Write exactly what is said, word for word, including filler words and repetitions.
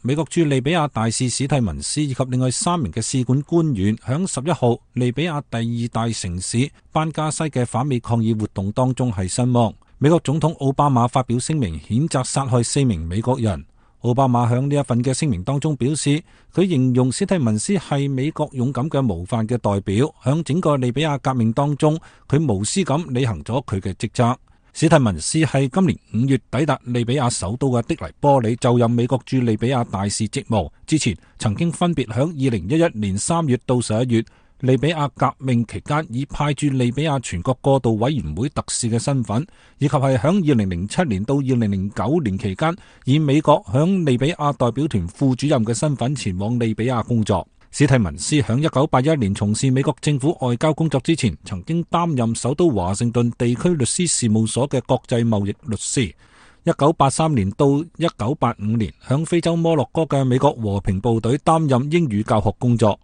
美國駐利比亞大使史蒂文斯以及另外三名嘅使館官員響十一號利比亞第二大城市班加西嘅反美抗議活動當中係身亡。美國總統奧巴馬發表聲明譴責殺害四名美國人。奧巴馬響呢一份嘅聲明當中表示，佢形容史蒂文斯係美國勇敢嘅模範嘅代表，響整個利比亞革命當中，佢無私咁履行咗佢嘅職責。史蒂文斯係今年五月抵達利比亞首都嘅的黎波里，就任美國駐利比亞大使職務。之前曾經分別響二零一一年三月到十一月利比亞革命期間，以派駐利比亞全國過渡委員會特使嘅身份，以及係響二零零七年到二零零九年期間，以美國響利比亞代表團副主任嘅身份前往利比亞工作。史蒂文斯響一九八一年從事美國政府外交工作之前，曾經擔任首都華盛頓地區律師事務所嘅國際貿易律師。一九八三年到一九八五年，響非洲摩洛哥嘅美國和平部隊擔任英語教學工作。